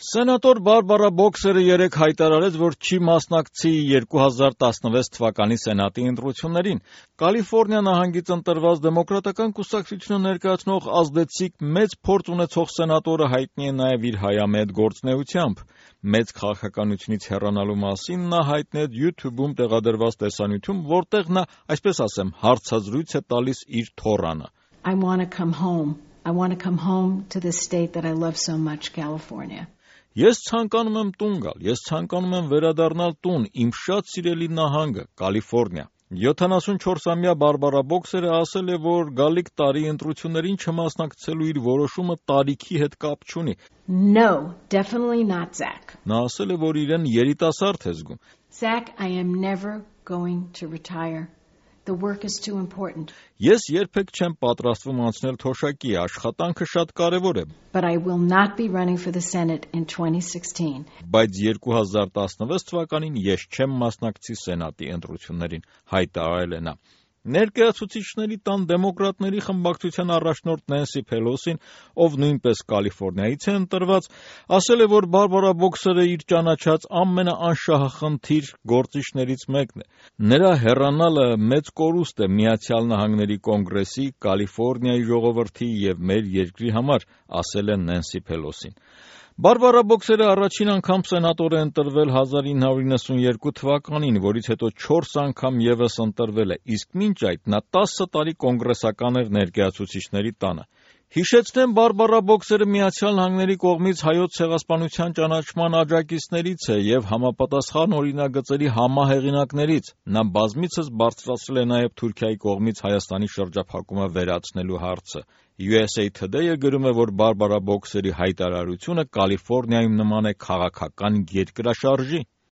Սենատոր Բարբարա Բոքսերը երեկ հայտարարեց, որ չի մասնակցի 2016 թվականի Սենատի ընտրություններին։ Կալիֆոռնիա նահանգից ընտրված Դեմոկրատական կուսակցությունը ներկայացնող ազդեցիկ մեծ փորձ ունեցող սենատորը հայտնի է նաև իր հայամետ գործունեությամբ։ Մեծ քաղաքականությունից հեռանալու մասին նա հայտնեց YouTube-ում տեղադրված տեսանյութում, որտեղ նա, այսպես ասեմ, հարցազրույց է տալիս իր թոռանը։ I want to come home. I want to come home to the state that I love so much, California. Ես ցանկանում եմ տուն գալ, ես ցանկանում եմ վերադառնալ տուն, իմ շատ սիրելի նահանգը, Կալիֆոռնիա։ 74-ամյա Բարբարա Բոքսերը ասել է, որ գալիք տարի ընտրություններին չմասնակցելու իր որոշումը տարիքի հետ կապ չունի։ No, definitely not, Zach. Նա ասել է, որ իրեն երիտասարդ է զգում։ Zach, I am never going to retire. The work is too important. Ես երբեք չեմ պատրաստվում անցնել թոշակի, աշխատանքը շատ կարևոր է։ But I will not be running for the Senate in 2016. Բայց 2016 թվականին ես չեմ մասնակցի Սենատի ընտրություններին, հայտարարել է նա։ Ներկայացուցիչների տան դեմոկրատների խմբակցության առաջնորդ Նենսի Փելոսին, ով նույնպես Կալիֆոռնիայից է ընտրված, ասել է, որ Բարբարա Բոքսերը իր ճանաչած ամենաանշահախնդիր գործիչներից մեկն է։ Նրա հեռանալը մեծ կորուստ է Միացյալ Նահանգների կոնգրեսի, Կալիֆոռնիայի ժողովրդի եւ մեր երկրի համար, ասել է Նենսի Փելոսին։ Բարբարա Բոքսերը առաջին անգամ սենատոր է ընտրվել 1992 թվականին, որից հետո 4 անգամ ևս ընտրվել է, իսկ մինչ այդ նա 10 տարի կոնգրեսական էր ներկայացուցիչների տանը։ Հիշեցնեմ, Բարբարա Բոքսերը Միացյալ Նահանգների կողմից հայոց ցեղասպանության ճանաչման աջակիցներից է եւ համապատասխան օրինագծերի համահեղինակներից։ Նա բազմիցս բարձրացրել է նաեւ Թուրքիայի կողմից Հայաստանի շրջափակումը վերացնելու հարցը։ USA Today-ը գրում է, որ Բարբարա Բոքսերի հայտարարությունը Կալիֆոռնիայում նման է քաղաքական երկրաշարժի։